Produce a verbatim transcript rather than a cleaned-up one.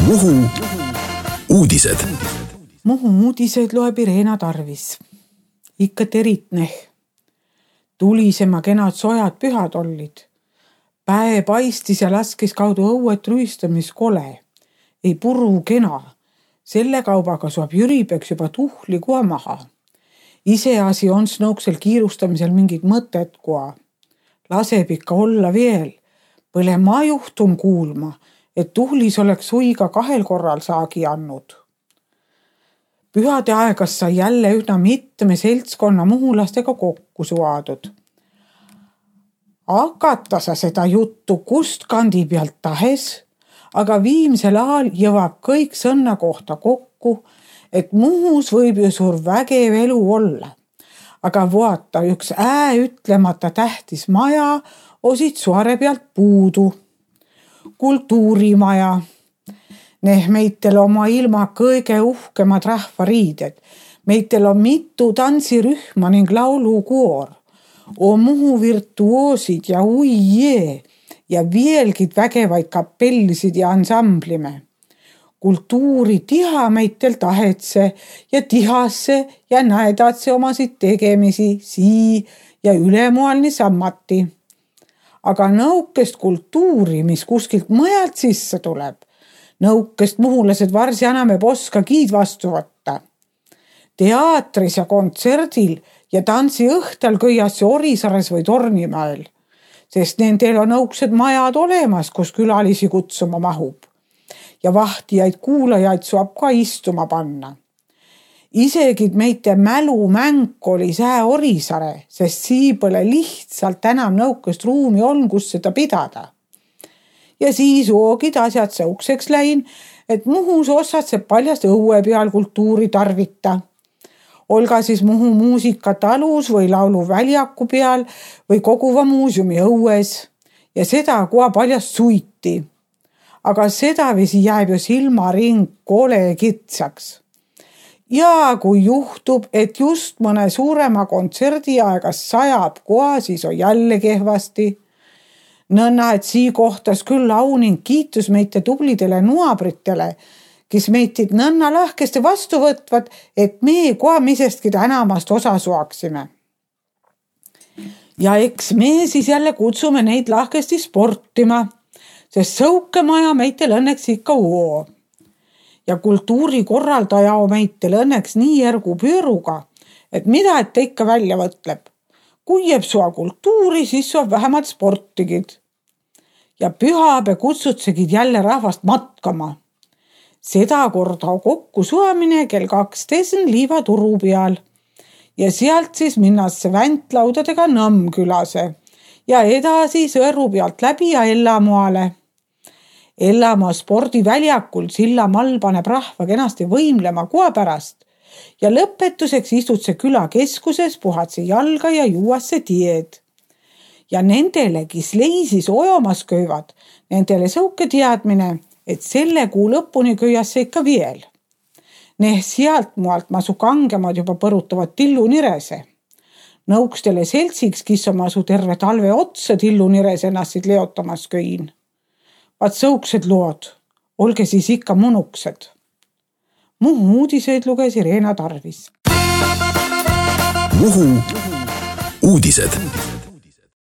Muhu uudised. Muhu uudised loeb Irena Tarvis. Ikka teritneh. Tulisema kenad sojad pühad ollid. Päe paistis ja laskis kaudu õuet rüüstamis kole. Ei puru kena. Selle kaubaga suab Jüripeks juba tuhli kua maha. Iseasi on snouksel kiirustamisel mingid mõtet kua. Laseb ikka olla veel. Põle ma juhtun kuulma, et tuhlis oleks suiga kahel korral saagi annud. Pühade aegas sai jälle ühna mitme seltskonna muhulastega kokku suadud. Hakata sa seda juttu kust kandi pealt tahes, aga viimsel ajal jõvab kõik sõnna kohta kokku, et Muhus võib ju suur vägev elu olla. Aga vaata, üks ää ütlemata tähtis maja osid suare pealt puudu. Kultuurimaja. Neh meitel oma ilma kõige uhkemad rahvariided. Meitel on mitu tantsirühma ning laulukoor. On Muhu virtuoosid ja uijee ja vielgid vägevaid kapellisid ja ansamblime. Kultuuri tiha meitel tahetse ja tihasse ja näedatse omasid tegemisi sii ja ülemoalni sammati. Aga nõukest kultuuri, mis kuskilt mõjalt sisse tuleb, nõukest muhulased varsi enam ei oska kiid vastu võtta. Teatris ja kontserdil ja tantsi õhtal kõiasse Orisares või Tornimäel, sest nendel on nõuksed majad olemas, kus külalisi kutsuma mahub. Ja vahtijaid kuulajaid suab ka istuma panna. Isegi meite mälumäng oli sää Orisare, sest sii pole lihtsalt enam nõukest ruumi on, kus seda pidada. Ja siis oogid asjad sõukseks läin, et Muhus osad see paljast õue peal kultuuri tarvita. Olga siis Muhu muusikatalus või laulu väljaku peal või koguva muuseumi õues ja seda kua paljast suiti. Aga seda visi jääb ju silmaring kole kitsaks. Ja kui juhtub, et just mõne suurema kontserdi aegas sajab koa, siis on jälle kehvasti. Nõnna, et sii kohtas küll au ning kiitus meite tublidele nuabritele, kes meitid nõnna lahkesti vastu võtvad, et me koa misestki tänamast osa suaksime. Ja eks me siis jälle kutsume neid lahkesti sportima, sest sõukemaja meitel õnneks ikka uo. Ja kultuurikorraldaja on meitel õnneks nii järgu pööruga, et mida et ikka välja võtleb. Kui jääb sua kultuuri, siis suab vähemalt sportigid. Ja pühape kutsutsegid jälle rahvast matkama. Seda korda kokku suamine kell kaksteist liiva turu peal. Ja sealt siis minnasse väntlaudadega Nõmmkülase ja edasi Sõõru pealt läbi ja Ellamoale. Ellamaa spordiväljakul Sillamall paneb rahva kenasti võimlema kua pärast ja lõpetuseks istud see küla keskuses, puhatse jalga ja juuasse tied. Ja nendele, kes leisis ojomas köivad, nendele sõuke teadmine, et selle kuu lõpuni köiasse ikka veel. Neh sealt mualt masu kangemad juba põrutavad tillu nirese. Nõukstele seltsiks, kes on masu terve talve otsa tillu nirese ennast leotamas köin. Vaat sõuksed lood, olge siis ikka munuksed. Muhu uudiseid luges Irena Tarvis. Muhu uudised.